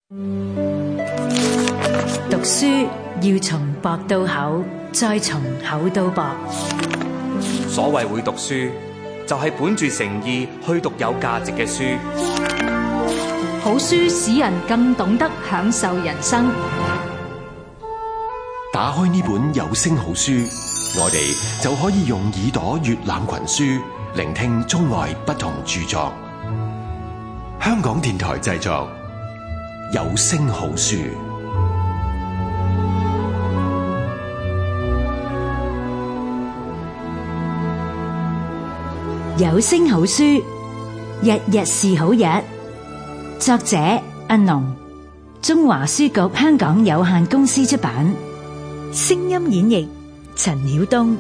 讀書要從薄到厚，再從厚到薄。所謂會讀書，就係本住誠意去讀有價值嘅書。好書使人更懂得享受人生。打開呢本有聲好書，我哋就可以用耳朵閱覽群書，聆聽中外不同著作。香港電台製作，有聲好書。有聲好書，日日是好日。作者阿農，中華書局香港有限公司出版。聲音演繹陳曉東。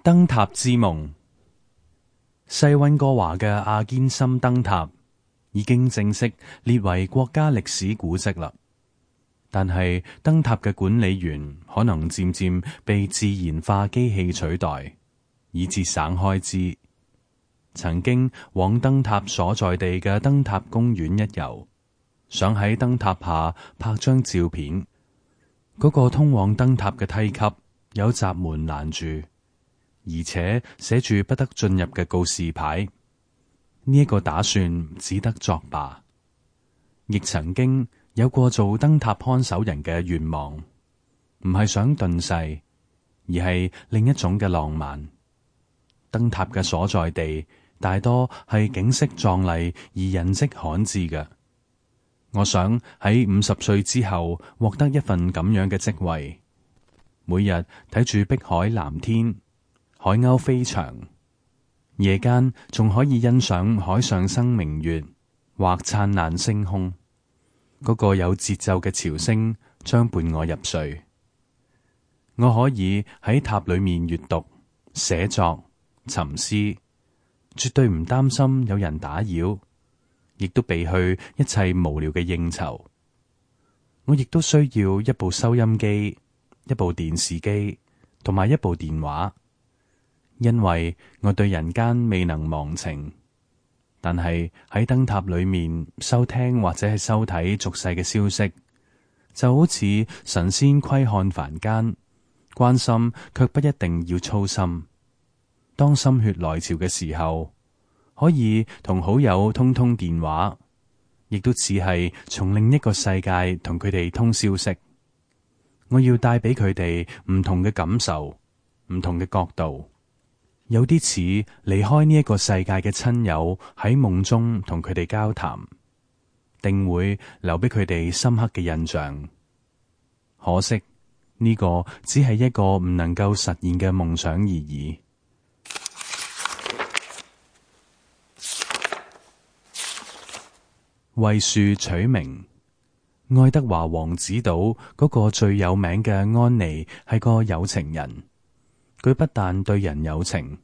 燈塔之夢。西溫哥華嘅阿堅森燈塔已經正式列為國家歷史古蹟啦，但係燈塔嘅管理員可能漸漸被自然化機器取代，以節省開支。曾經往燈塔所在地嘅燈塔公園一遊，想喺燈塔下拍張照片，嗰個通往燈塔嘅梯級有閘門攔住，而且寫住不得進入嘅告示牌，呢一個打算只得作罷。亦曾經有過做燈塔看守人嘅願望，唔係想遁世，而係另一種嘅浪漫。燈塔嘅所在地大多係景色壯麗而人跡罕至嘅。我想喺50歲之後獲得一份咁樣嘅職位，每日睇住碧海藍天，海鷗飛翔，夜間仲可以欣賞海上生明月或燦爛星空。嗰個有節奏嘅潮聲將伴我入睡。我可以喺塔裏面閱讀、寫作、沉思，絕對唔擔心有人打擾，亦都避去一切無聊嘅應酬。我亦都需要一部收音機、一部電視機同埋一部電話。因為我對人間未能忘情，但係喺燈塔裏面收聽或者係收睇俗世嘅消息，就好似神仙窺看凡間，關心卻不一定要操心。當心血來潮嘅時候，可以同好友通通電話，亦都似係從另一個世界同佢哋通消息。我要帶俾佢哋唔同嘅感受，唔同嘅角度。有啲似離開呢一個世界嘅親友喺夢中同佢哋交談，定會留俾佢哋深刻嘅印象。可惜呢個只係一個唔能夠實現嘅夢想而已。為樹取名。愛德華王子島嗰個最有名嘅安妮係個有情人。佢不但對人有情，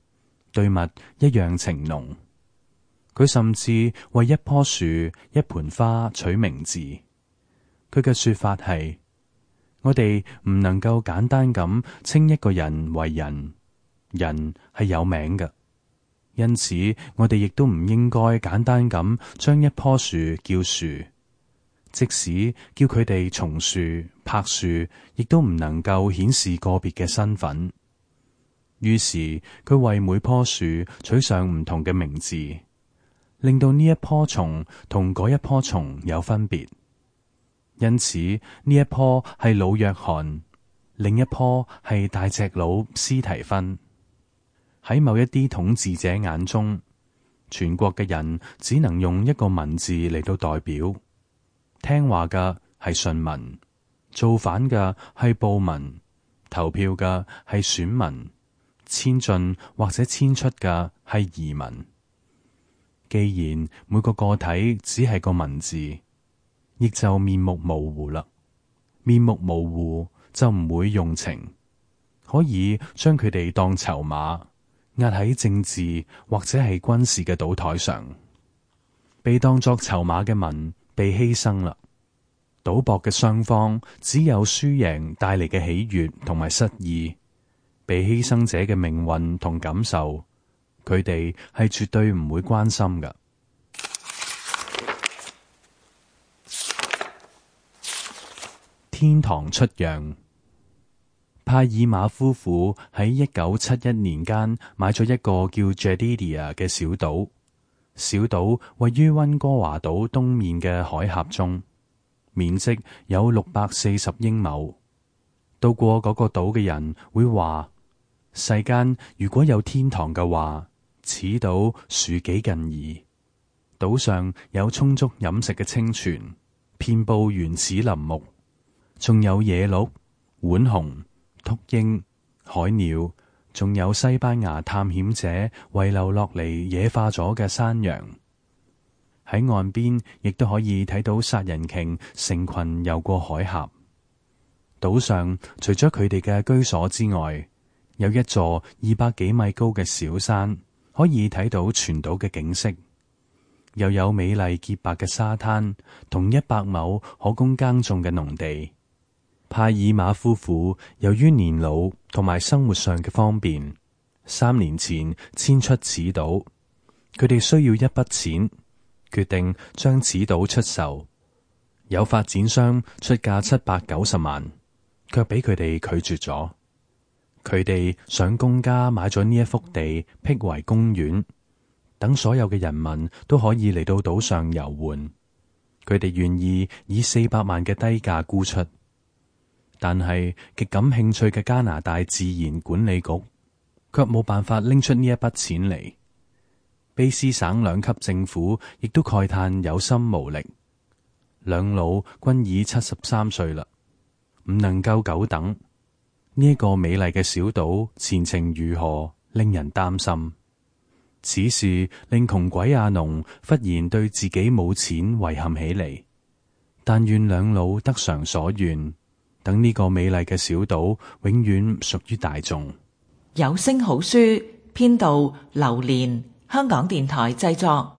對物一樣情濃。佢甚至為一棵樹、一盆花取名字。佢嘅說法係：我哋唔能夠簡單咁稱一個人為人，人係有名嘅。因此，我哋亦都唔應該簡單咁將一棵樹叫樹，即使叫佢哋松樹、柏樹，亦都唔能夠顯示個別嘅身份。於是佢為每棵樹取上唔同嘅名字，令到呢一棵松同嗰一棵松有分別。因此呢一棵係老約翰，另一棵係大隻佬斯提芬。喺某一啲統治者眼中，全國嘅人只能用一個文字嚟到代表。聽話嘅係順民，造反嘅係暴民，投票嘅係選民，遷進或者遷出嘅係移民。既然每個個體只係個文字，亦就面目模糊啦。面目模糊就唔會用情，可以將佢哋當籌碼，壓喺政治或者係軍事嘅賭台上，被當作籌碼嘅民被犧牲啦。賭博嘅雙方只有輸贏帶嚟嘅喜悅同埋失意，被犧牲者嘅命運同感受，佢哋係絕對唔會關心㗎。天堂出讓。帕爾馬夫婦喺1971年間買咗一個叫 Jedidia 嘅小島，小島位於溫哥華島東面嘅海峽中，面積有640英畝。到過嗰個島嘅人會話，世間如果有天堂嘅話，此島恕己近矣。島上有充足飲食嘅清泉，遍佈原始林木，仲有野鹿、浣熊、禿鷹、海鳥，仲有西班牙探險者遺留落嚟野化咗嘅山羊。喺岸邊亦都可以睇到殺人鯨成群游過海峽。島上除咗佢哋嘅居所之外，有一座200幾米高嘅小山，可以睇到全島嘅景色，又有美麗潔白嘅沙灘同100畝可供耕種嘅農地。帕爾馬夫婦由於年老同埋生活上嘅方便，3年前遷出此島。佢哋需要一筆錢，決定將此島出售。有發展商出價790萬，卻俾佢哋拒絕咗。佢哋想公家買咗呢一幅地，闢為公園，等所有嘅人民都可以嚟到島上遊玩。佢哋願意以400萬嘅低價沽出。但係極感興趣嘅加拿大自然管理局卻冇辦法拎出呢一筆錢嚟。卑斯省2級政府亦都慨嘆有心無力，兩老均已73歲啦，唔能夠久等。呢一個美麗嘅小島前程如何，令人擔心。此事令窮鬼阿農忽然對自己冇錢遺憾起嚟，但願兩老得償所願，等呢個美麗嘅小島永遠屬於大眾。有聲好書編導劉蓮，香港電台製作。